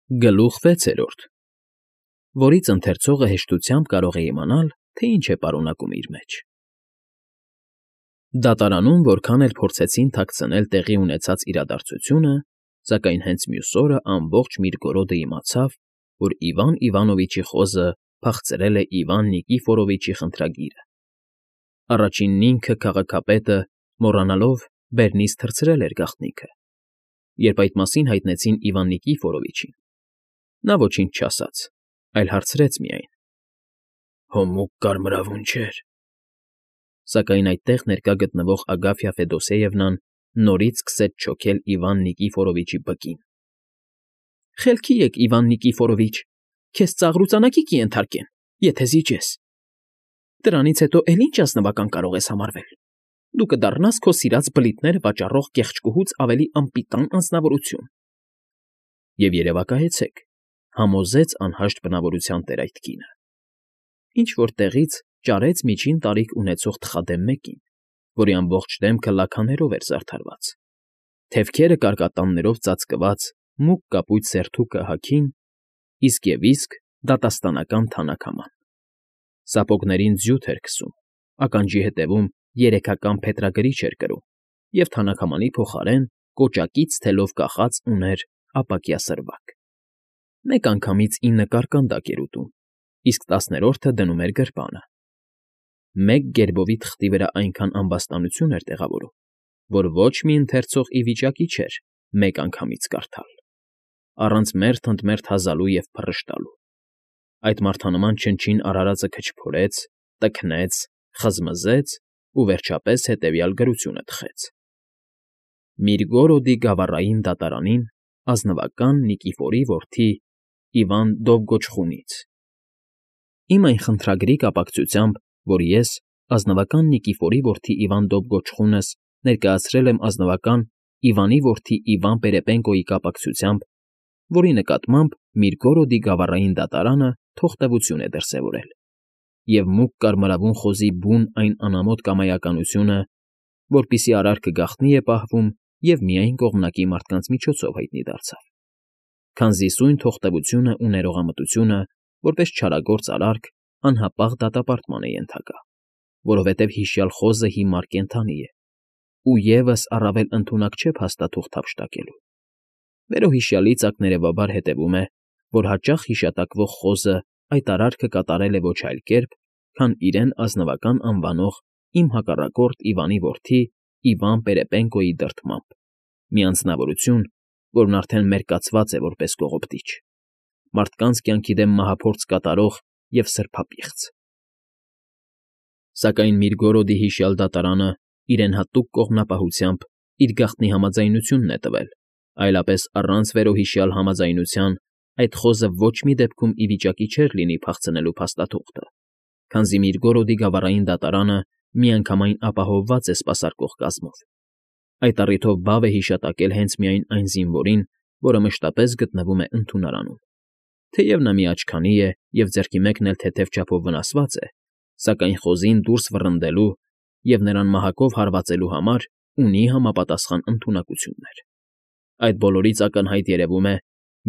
Գլուխ 6, որից ընթերցողը հեշտությամբ կարող է իմանալ, թե ինչ է պարունակում իր մեջ։ Դատարանում որքան էլ փորձեցին թաքցնել տեղի ունեցած իրադարձությունը, սակայն հենց մյուս օրը ամբողջ Միրգորոդը իմացավ, որ Իվան Իվանովիչի խոզը փախցրել է Իվան Նիկիֆորովիչի խնդրագիրը։ Առաջինն ինքը քաղաքապետը, մոռանալով, բեռնից թռցրել էր գաղտնիքը, երբ այդ մասին հայտնեցին Իվան Նիկիֆորովիչին։ Նա ոչինչ չասաց, այլ հարցրեց միայն. «Հո մուգ կարմրավուն չէր»։ Սակայն այդտեղ ներկա գտնվող Ագաֆյա Ֆեդոսեևնան նորից սկսեց չոքել Իվան Նիկիֆորովիչի բկին։ «Խելքի եկ, Իվան Նիկիֆորովիչ, քեզ ծաղրուծանակի կենթարկեն, եթե զիջես։ Դրանից հետո էլ ինչ ազնվական կարող ես համարվել։ Դու կդառնաս քո սիրած բլիթները վաճառող կեղճկուհուց ավելի անպիտան անձնավորություն»։ Եվ երևակայեցեք, համոզեց անհաշտ բնավորության տեր այդ կինը։ Ինչ-որ տեղից ճարեց միջին տարիք ունեցող թխադեմ մեկին, որի ամբողջ դեմքը լաքաներով էր զարդարված, թևքերը կարկատաններով ծածկված մուգ կապույտ սերթուկը հագին, իսկ դատաստանական թանաքաման։ Սապոգներին ձյութ էր քսում, ականջի հետևում երեքական փետրագրիչ էր կրում և թանաքամանի փոխարեն կոճակից թելով կախած ուներ ապակյա սրվակ։ Մեկ անգամից 9 կարկանդակ էր ուտում, իսկ 10-րդը դնում էր գրպանը։ Մեկ գերբովի թղթի վրա այնքան ամբաստանություն էր տեղավորում, որ ոչ մի ընթերցող ի վիճակի չէր մեկ անգամից կարդալ, առանց մերթ-ընդ-մերթ հազալու և փռշտալու։ Այդ մարդանման չնչին արարածը քչփորեց, տքնեց, խզմզեց ու վերջապես հետևյալ գրությունը թխեց. Միրգորոդի գավառային դատարանին ազնվական Նիկիֆորի որդի Իվան Դովգոչխունից։ Իմ այն խնդրագրի կապակցությամբ, որ ես, ազնվական Նիկիֆորի որդի Իվան Դովգոչխունս, ներկայացրել եմ ազնվական Իվանի որդի Իվան Պերեպենկոյի կապակցությամբ, որի նկատմամբ Միրգորոդի գավառային դատարանը թողտվություն է դրսևորել, և մուգ կարմրավուն խոզի բուն այն անամոթ կամայականությունը, որպիսի արարքը գաղտնի է պահվում և միայն կողմնակի մարդկանց միջոցով հայտնի դարձավ։ Քանզի սույն թողտվությունը ու ներողամտությունը, որպես չարագործ արարք, անհապաղ դատապարտման է ենթակա, որովհետև հիշյալ խոզը հիմար կենդանի է, ու ևս առավել ընդունակ չէ փաստաթուղթ հափշտակելու։ Վերոհիշյալի ծակներևաբար հետևում է, որ հաճախ հիշատակվող խոզը այդ արարքը կատարել է ոչ այլ կերպ, քան իրեն ազնվական անվանող իմ հակառակորդ Իվանի որդի Իվան Պերեպենկոյի դրդմամբ, մի անձնավորություն, որն արդեն մերկացված է որպես կողոպտիչ, մարդկանց կյանքի դեմ մահափորձ կատարող և սրբապիղծ։ Սակայն Միրգորոդի հիշյալ դատարանը իրեն հատուկ կողմնապահությամբ իր գաղտնի համաձայնությունն է տվել, այլապես առանց վերոհիշյալ համաձայնության այդ խոզը ոչ մի դեպքում ի վիճակի չէր լինի փախցնելու փաստաթուղթը, քանզի Միրգորոդի գավառային դատարանը միանգամայն ապահովված է սպասարկող կազմով։ Այդ առիթով բավ է հիշատակել հենց միայն այն զինվորին, որը մշտապես գտնվում է ընդունարանում։ Թեև նա մի աչքանի է և ձեռքի մեկն էլ թեթև չափով վնասված է, սակայն խոզին դուրս վռնդելու և նրան մահակով հարվածելու համար ունի համապատասխան ընդունակություններ։ Այդ բոլորից ակնհայտ երևում է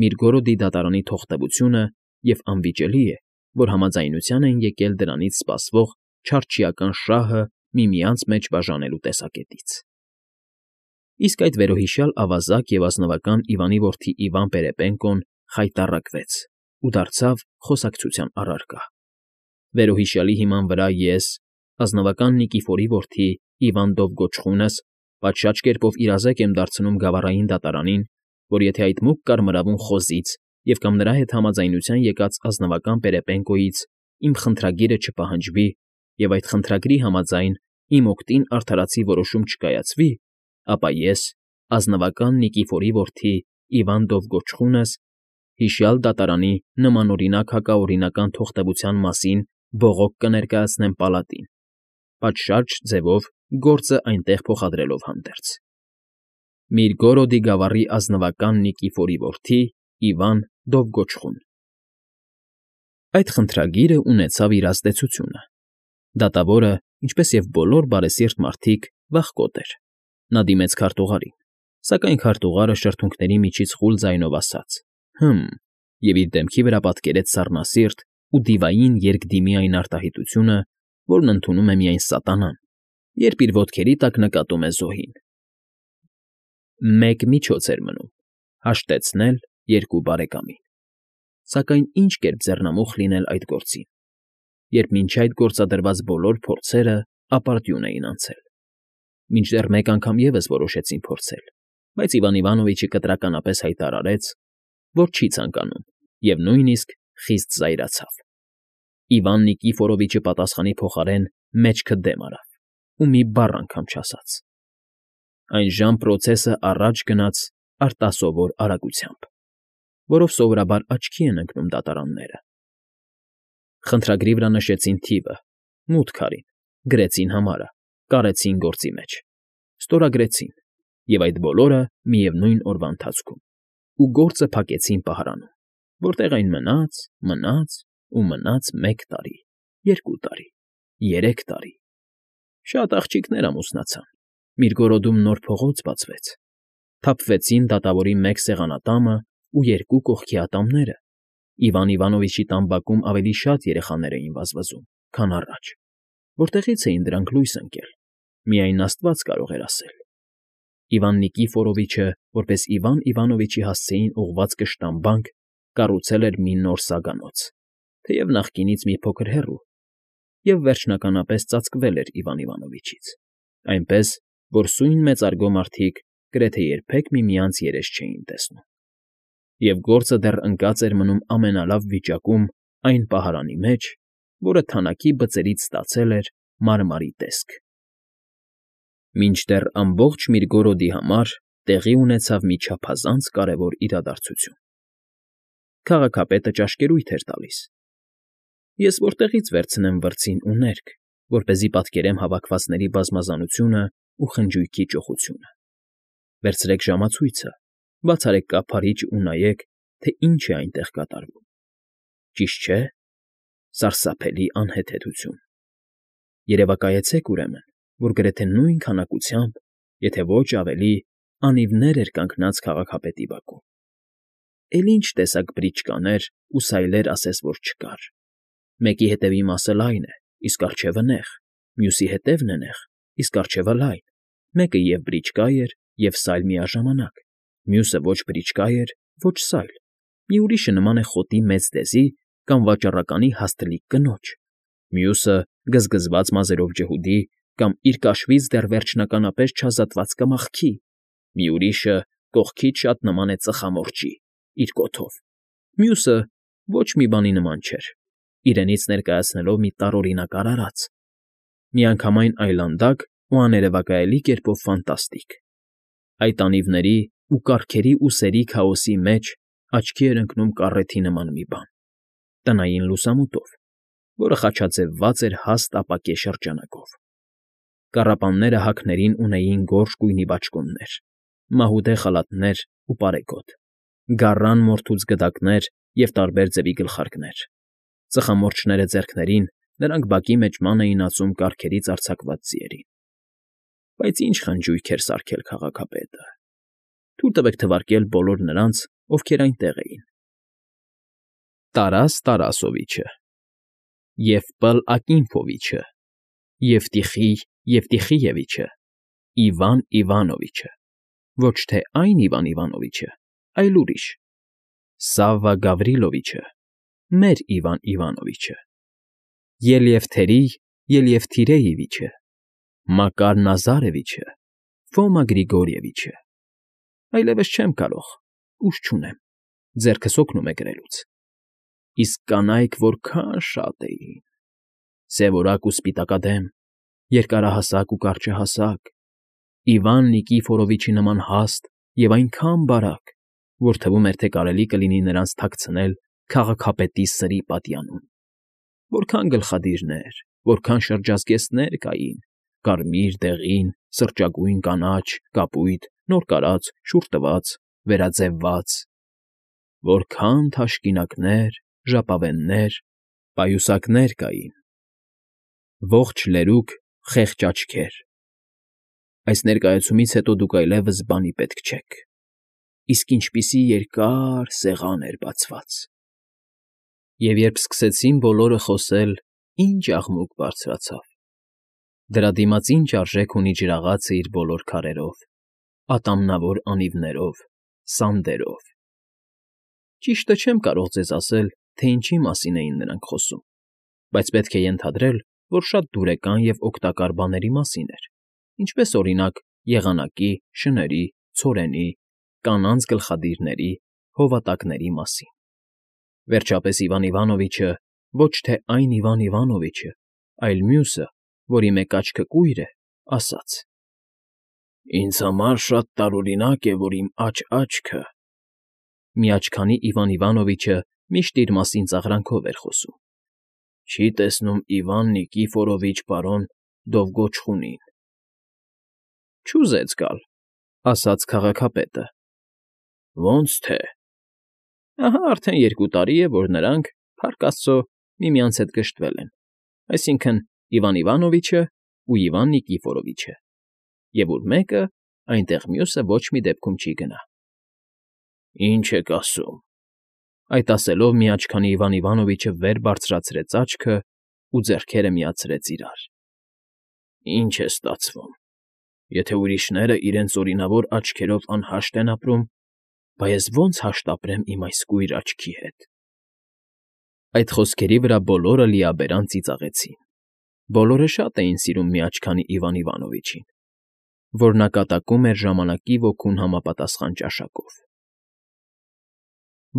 Միրգորոդի դատարանի թողտվությունը և անվիճելի է, որ համաձայնության են եկել դրանից սպասվող չարչիական շահը միմյանց մեջ բաժանելու տեսակետից։ Իսկ այդ վերոհիշյալ ավազակ և ազնվական Իվանի որդի Իվան Պերեպենկոն խայտառակվեց ու դարձավ խոսակցության առարկա։ Վերոհիշյալի հիման վրա ես, ազնվական Նիկիֆորի որդի Իվան Դովգոչխունս, պատշաճ կերպով իրազեկ եմ դարձնում գավառային դատարանին, որ եթե այդ մուգ կարմրավուն խոզից և կամ նրա հետ համաձայնության եկած ազնվական Պերեպենկոյից իմ խնդրագիրը չպահանջվի և այդ խնդրագրի համաձայն իմ օգտին արդարացի որոշում չկայացվի, ապա ես, ազնվական Նիկիֆորի որդի Իվան Դովգոչխունս, հիշյալ դատարանի նմանօրինակ հակաօրինական թողտվության մասին բողոք կներկայացնեմ պալատին, պատշաճ ձևով գործը այնտեղ փոխադրելով հանդերձ։ Միրգորոդի գավառի ազնվական Նիկիֆորի որդի Իվան Դովգոչխուն։ Այդ խնդրագիրը ունեցավ իր ազդեցությունը։ Դատավորը, ինչպես և բոլոր բարեսիրտ մարդիկ, վախկոտ էր։ Նա դիմեց քարտուղարին, սակայն քարտուղարը շրթունքների միջից խուլ ձայնով ասաց. «Հը՛մ, և իր դեմքի վրա պատկերեց սառնասիրտ ու դիվային երկդիմի այն արտահայտությունը, որն ընդունում է միայն սատանան, երբ իր ոտքերի տակ նկատում է զոհին։ Մեկ միջոց էր մնում՝ հաշտեցնել երկու բարեկամին։ Սակայն ինչ կերպ ձեռնամուխ լինել այդ գործին, երբ մինչ այդ գործադրված բոլոր փորձերը ապարդյուն էին անցել։ Մինչդեռ մեկ անգամ ևս որոշեցին փորձել, բայց Իվան Իվանովիչը կտրականապես հայտարարեց, որ չի ցանկանում, և նույնիսկ խիստ զայրացավ։ Իվան Նիկիֆորովիչը պատասխանի փոխարեն մեջքը դեմ արավ ու մի բառ անգամ չասաց։ Այնժամ պրոցեսը առաջ գնաց արտասովոր արագությամբ, որով սովորաբար աչքի են ընկնում դատարանները։ Խնդրագրի վրա նշեցին թիվը, մութ քարին, գրեցին համարը, կարեցին գործի մեջ, ստորագրեցին, և այդ բոլորը միևնույն օրվա ընթացքում, ու գործը փակեցին պահարանում, որտեղ այն մնաց ու մնաց 1 տարի, 2 տարի, 3 տարի։ Շատ աղջիկներ ամուսնացան, Միրգորոդում նոր փողոց բացվեց, թափվեցին դատավորի 1 սեղանատամը ու 2 կողքի ատամները, Իվան Իվանովիչի տան բակում ավելի շատ երեխաներ էին վազվզում, քան առաջ, որտեղից էին դրանք լույս ընկել, միայն Աստված կարող էր ասել։ Իվան Նիկիֆորովիչը, որպես Իվան Իվանովիչի հասցեին ուղղված կշտամբանք, կառուցել էր մի նոր սագանոց, թեև նախկինից մի փոքր հեռու, և վերջնականապես ծածկվել էր Իվան Իվանովիչից, այնպես, որ սույն մեծարգո մարդիկ գրեթե երբեք միմյանց երես չէին տեսնում։ Եվ գործը դեռ ընկած էր մնում ամենալավ վիճակում այն պահարանի մեջ, որը թանաքի բծերից ստացել էր մարմարի տեսք։ Մինչդեռ ամբողջ Միրգորոդի համար տեղի ունեցավ մի չափազանց կարևոր իրադարձություն։ Քաղաքապետը ճաշկերույթ էր տալիս։ Ես որտեղից վերցնեմ վրձին ու ներք, որպեսզի պատկերեմ հավաքվածների բազմազանությունը ու խնջույքի ճոխությունը։ Վերցրեք ժամացույցը, բաց արեք կափարիչը ու նայեք, թե ինչ է այնտեղ կատարվում։ Ճիշտ չէ՞։ Սարսափելի անհեթեթություն։ Երևակայեցեք, ուրեմն, որ գրեթե նույն քանակությամբ, եթե ոչ ավելի, անիվներ էր կանգնած քաղաքապետի բակում։ Էլ ինչ տեսակ բրիչկաներ ու սայլեր ասես որ չկար։ Մեկի հետևի մասը լայն է, իսկ առջևը նեղ, մյուսի հետևն է նեղ, իսկ առջևը լայն, մեկը և բրիչկա էր, և սայլ միաժամանակ, մյուսը ոչ բրիչկա էր, ոչ սայլ, մի ուրիշը նման է խոտի մեծ դեզի կամ վաճառականի հաստլիկ կնոջ, մյուսը գզգզված մազերով ջհուդի կամ իր կաշվից դեռ վերջնականապես չազատված կմախքի, մի ուրիշը կողքից շատ նման է ծխամորճի, իր կոթով, մյուսը ոչ մի բանի նման չէր, իրենից ներկայացնելով մի տարօրինակ արարած, միանգամայն այլանդակ ու աներևակայելի կերպով ֆանտաստիկ։ Այդ անիվների ու կառքերի ու սերի քաոսի մեջ աչքի էր ընկնում կառեթի նման մի բան, տնային լուսամուտով, որը խաչաձևված էր հաստ ապակե շրջանակով։ Կառապանները հակներին ունեին գորշ գույնի բաճկոններ, մահուդե խալաթներ ու պարեգոտ, գառան մորթուց գդակներ և տարբեր ձևի գլխարկներ։ Ծխամորճները ձեռքներին, նրանք բակի մեջ ման էին ածում կառքերից արձակված ձիերին։ Բայց ինչ խնջույք էր սարքել քաղաքապետը։ Թույլ տվեք թվարկել բոլոր նրանց, ովքեր այնտեղ էին. Տարաս Տարասովիչը, Եվպլ Ակինֆովիչը, Եվտիխիևիչը, Իվան Իվանովիչը, ոչ թե այն Իվան Իվանովիչը, այլ ուրիշ, Սավվա Գավրիլովիչը, մեր Իվան Իվանովիչը, Ելևթերի Ելևթիրեևիչը, Մակար Նազարևիչը, Ֆոմա Գրիգորիևիչը։ Այլևս չեմ կարող, ուժ չունեմ, ձեռքս հոգնում է գրելուց։ Իսկ կանայք որքան շատ էին, սևորակ ու սպիտակադեմ, երկարահասակ ու կարճահասակ, Իվան Նիկիֆորովիչի նման հաստ և այնքան բարակ, որ թվում էր, թե կարելի կլինի նրանց թաքցնել քաղաքապետի սրի պատյանում։ Որքան գլխադիրներ, որքան շրջազգեստներ կային, կարմիր, դեղին, սրճագույն, կանաչ, կապույտ, նոր կարած, շուռ տված, վերաձևված, որքան թաշկինակներ, ժապավեններ, պայուսակներ կային, ողջ լերուկ, խեղճ աչքեր։ Այս ներկայացումից հետո դուք այլևս բանի պետք չեք։ իսկ ինչպիսի երկար սեղան էր բացված։ Եվ երբ սկսեցին բոլորը խոսել, ինչ աղմուկ բարձրացավ։ Դրա դիմաց ինչ արժեք ունի ջրաղացը իր բոլոր քարերով, ատամնավոր անիվներով, սանդերով։ Ճիշտը չեմ կարող ձեզ ասել, թե ինչի մասին էին նրանք խոսում, բայց պետք է ենթադրել, որ շատ դուրեկան և օգտակար բաների մասին էր, ինչպես օրինակ եղանակի, շների, ցորենի, կանանց գլխադիրների, հովատակների մասին։ Վերջապես Իվան Իվանովիչը, ոչ թե այն Իվան Իվանովիչը, այլ մյուսը, որի մեկ աչքը կույր է, ասաց. «Ինձ համար շատ տարօրինակ է, որ իմ աչքը…» Միաչքանի Իվան Իվանովիչը միշտ իր մասին ծաղրանքով էր խոսում։ «Չի տեսնում Իվան Նիկիֆորովիչ պարոն Դովգոչխունին»։ «Չուզեց գալ», ասաց քաղաքապետը։ «Ոնց թե»։ Ահա արդեն 2 տարի է, որ նրանք, փառք աստծո, միմյանց հետ գժտվել են, այսինքն՝ Իվան Իվանովիչը ու Իվան Նիկիֆորովիչը, և ուր մեկը, այնտեղ մյուսը ոչ մի դեպքում չի գնա։ «Ինչ եք ասում»։ Այդ ասելով միաչքանի Իվան Իվանովիչը վեր բարձրացրեց աչքը ու ձեռքերը միացրեց իրար։ «Ինչ է ստացվում։ Եթե ուրիշները իրենց օրինավոր աչքերով անհաշտ են ապրում, բա ես ո՞նց հաշտ ապրեմ իմ այս կույր աչքի հետ»։ Այդ խոսքերի վրա բոլորը լիաբերան ծիծաղեցին։ Բոլորը շատ էին սիրում միաչքանի Իվան Իվանովիչին, որ նա կատակում էր ժամանակի ոգուն համապատասխան ճաշակով։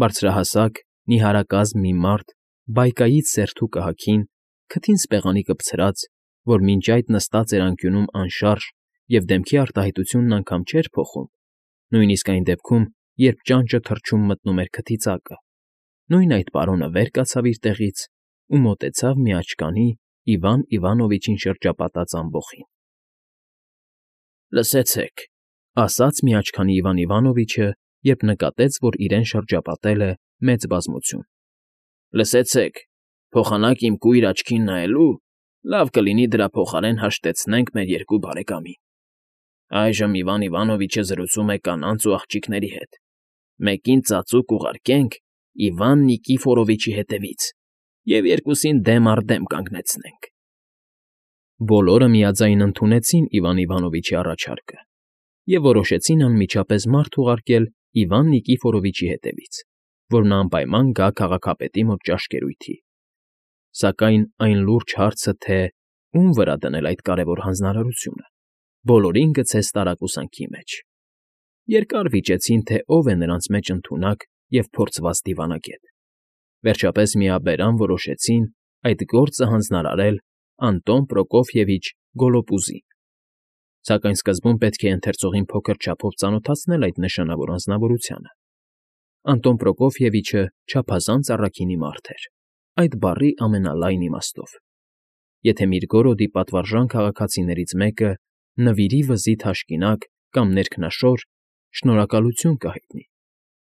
Բարձրահասակ, նիհարակազմ մի մարդ բայկայից սերթու կհագին, քթին սպեղանի կպցրած, որ մինչ այդ նստած էր անկյունում անշարժ և դեմքի արտահայտությունն անգամ չէր փոխում, նույնիսկ այն դեպքում, երբ ճանճը թռչում մտնում էր քթի ծակը, նույն այդ պարոնը վեր կացավ իր տեղից ու մոտեցավ միաչքանի Իվան Իվանովիչին շրջապատած ամբոխին։ «Լսեցեք», ասաց միաչքանի Իվան Իվանովիչը, երբ նկատեց, որ իրեն շրջապատել է մեծ բազմություն։ «Լսեցեք, փոխանակ իմ կույր աչքին նայելու, լավ կլինի դրա փոխարեն հաշտեցնենք մեր 2 բարեկամին։ Այժմ Իվան Իվանովիչը զրուցում է կանանց ու աղջիկների հետ։ Մեկին ծածուկ ուղարկենք Իվան Նիկիֆորովիչի հետևից և երկուսին դեմ առ դեմ կանգնեցնենք»։ Բոլորը միաձայն ընդունեցին Իվան Իվանովիչի առաջարկը և որոշեցին անմիջապես մարդ ուղարկել Իվան Նիկիֆորովիչի հետևից, որ նա անպայման գա քաղաքապետի մոտ ճաշկերույթի։ Սակայն այն լուրջ հարցը, թե ում վրա դնել այդ կարևոր հանձնարարությունը, բոլորին գցեց տարակուսանքի մեջ։ Երկար վիճեցին, թե ով է նրանց մեջ ընդունակ և փորձված դիվանագետ։ Վերջապես միաբերան որոշեցին այդ գործը հանձնարարել Անտոն Պրոկոֆիևիչ Գոլոպուզին։ Սակայն սկզբում պետք է ընթերցողին փոքր չափով ծանոթացնել այդ նշանավոր անձնավորությանը։ Անտոն Պրոկոֆիևիչը չափազանց առաքինի մարդ էր, այդ բառի ամենալայն իմաստով։ Եթե Միրգորոդի պատվարժան քաղաքացիներից մեկը նվիրի վզի թաշկինակ կամ ներքնաշոր, շնորհակալություն կհայտնի,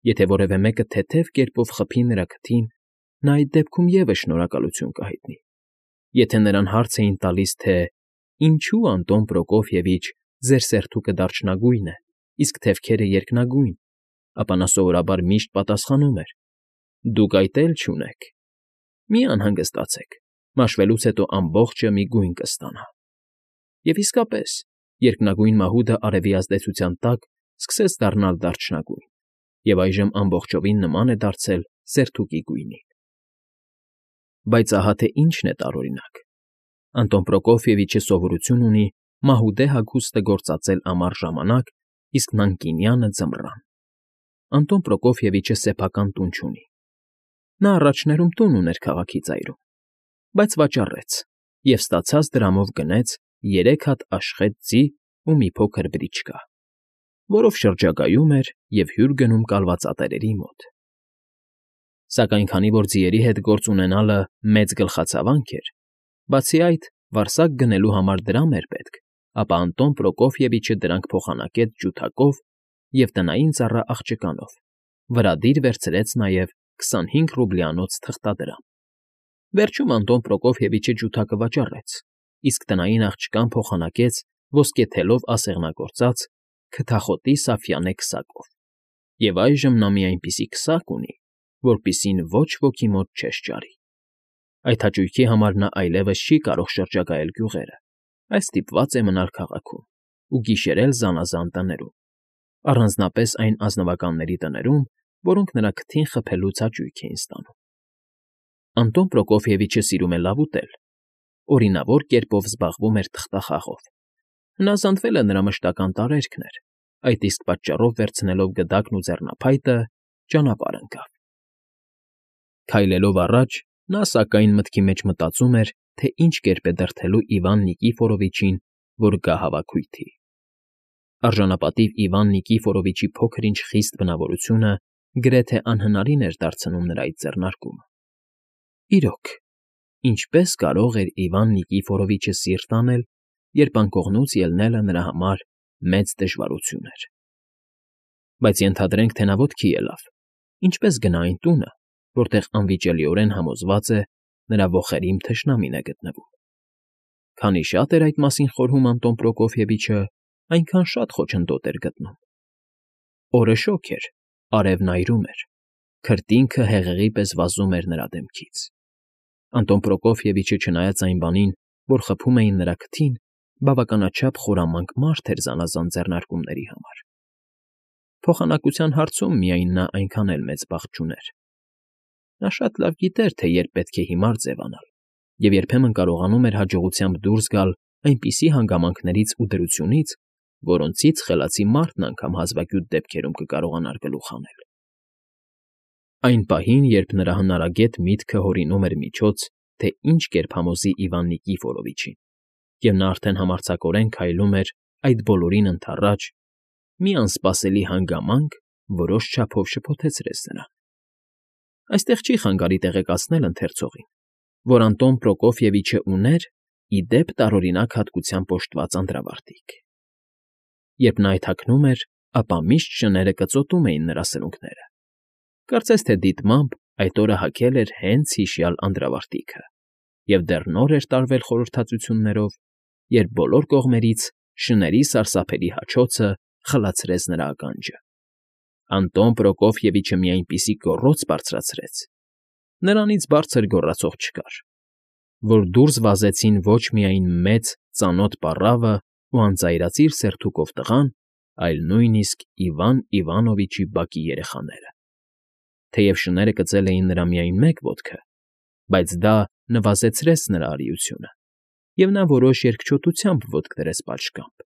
եթե որևէ մեկը թեթև կերպով խփի նրա քթին, նա այդ դեպքում ևս շնորհակալություն կհայտնի։ Եթե նրան հարց էին տալիս, թե «Ինչո՞ւ Անտոն Պրոկոֆիևիչ ձեր սերթուկը դարչնագույն է, իսկ թևքերը երկնագույն», ապա նա սովորաբար միշտ պատասխանում էր. «Դուք այդ էլ չունեք։ Մի անհանգստացեք, մաշվելուց հետո ամբողջը մի գույն կստանա»։ Եվ իսկապես, երկնագույն մահուդը արևի ազդեցության տակ սկսեց դառնալ դարչնագույն, և այժմ ամբողջովին նման է դարձել սերթուկի գույնին։ Բայց ահա թե ինչն է տարօրինակ. Անտոն Պրոկոֆիևիչը սովորություն ունի մահուդե հագուստը գործածել ամառ ժամանակ, իսկ նանկինյանը՝ ձմռան։ Անտոն Պրոկոֆիևիչը սեփական տուն չունի։ Նա առաջներում տուն ուներ քաղաքի ծայրում, բայց վաճառեց և ստացած դրամով գնեց 3 հատ աշխատ ձի ու մի փոքր բրիչկա, որով շրջագայում էր և հյուր գնում կալվածատերերի մոտ։ Սակայն քանի որ ձիերի հետ գործ ունենալը մեծ գլխացավանք էր, բացի այդ, վարսակ գնելու համար դրամ էր պետք, ապա Անտոն Պրոկոֆիևիչը դրանք փոխանակեց ջութակով և տնային ծառա աղջկանով, վրա դիր վերցրեց նաև 25 ռուբլյանոց թղթադրամ։ Վերջում Անտոն Պրոկոֆիևիչը ջութակը վաճառեց, իսկ տնային աղջկան փոխանակեց ոսկեթելով ասեղնագործած քթախոտի սաֆյանե քսակով։ Եվ այժմ նա մի այնպիսի քսակ ունի, որպիսին ոչ ոքի մոտ չես ճարի։ Այդ հաճույքի համար նա այլևս չի կարող շրջագայել գյուղերը, այլ ստիպված է մնալ քաղաքում ու գիշերել զանազան տներում, առանձնապես այն ազնվականների տներում, որոնք նրա քթին խփելուց հաճույք էին ստանում։ Անտոն Պրոկոֆիևիչը սիրում է լավ ուտել, օրինավոր կերպով զբաղվում էր թղթախաղով։ Հնազանդվել է նրա մշտական տարերքն էր, այդ իսկ պատճառով վերցնելով գդակն ու ձեռնափայտը ճանապարհ ընկավ։ Քայլելով առաջ, նա սակայն մտքի մեջ մտածում էր, թե ինչ կերպ է դրդելու Իվան Նիկիֆորովիչին, որ գա հավաքույթի։ Արժանապատիվ Իվան Նիկիֆորովիչի փոքր-ինչ խիստ բնավորությունը գրեթե անհնարին էր դարձնում նրա այդ ձեռնարկումը։ Իրոք, ինչպես կարող էր Իվան Նիկիֆորովիչը սիրտ անել, երբ անկողնուց ելնելը նրա համար մեծ դժվարություն էր։ Բայց ենթադրենք, թե նա ոտքի ելավ, ինչպես գնա այն տունը, որտեղ անվիճելիորեն համոզված է նրա ոխերիմ թշնամին է գտնվում։ Քանի շատ էր այդ մասին խորհում Անտոն Պրոկոֆիևիչը, այնքան շատ խոչընդոտ էր գտնում։ Օրը շոգ էր, արևն այրում էր, քրտինքը հեղեղի պես վազում էր նրա դեմքից։ Անտոն Պրոկոֆիևիչը, չնայած այն բանին, որ խփում էին նրա քթին, բավականաչափ խորամանկ մարդ էր զանազան ձեռնարկումների համար։ Փոխանակության հարցում միայն նա այնքան էլ մեծ բախտ չուներ։ Նա շատ լավ գիտեր, թե երբ պետք է հիմար ձևանալ, և երբեմն կարողանում էր հաջողությամբ դուրս գալ այնպիսի հանգամանքներից ու դրությունից, որոնցից խելացի մարդն անգամ հազվագյուտ դեպքերում կկարողանար գլուխ հանել։ Այն պահին, երբ նրա հնարագետ միտքը հորինում էր միջոց, թե ինչ կերպ համոզի Իվան Նիկիֆորովիչին, և նա արդեն համարձակորեն քայլում էր այդ բոլորին ընդառաջ, մի անսպասելի հանգամանք որոշ չափով շփոթեցրեց նրան։ Այստեղ չի խանգարի տեղեկացնել ընթերցողին, որ Անտոն Պրոկոֆիևիչը ուներ ի դեպ տարօրինակ հատկությամբ օժտված անդրավարտիք։ Երբ նա այդ հագնում էր, ապա միշտ շները կծոտում էին նրա սրունքները։ Կարծես թե դիտմամբ այդ օրը հագել էր հենց հիշյալ անդրավարտիքը, և դեռ նոր էր տարվել խորհրդածություններով, երբ բոլոր կողմերից շների սարսափելի հաչոցը խլացրեց նրա ականջը։ Անտոն Պրոկոֆիևիչը մի այնպիսի գոռոց բարձրացրեց, նրանից բարձր գոռացող չկար, որ դուրս վազեցին ոչ միայն մեծ ծանոթ պառավը ու անծայրածիր սերթուկով տղան, այլ նույնիսկ Իվան Իվանովիչի բակի երեխաները։ Թեև շները կծել էին նրա միայն մեկ ոտքը, բայց դա նվազեցրեց նրա արիությունը, և նա որոշ երկչոտությամբ ոտք դրեց պատշգամբ։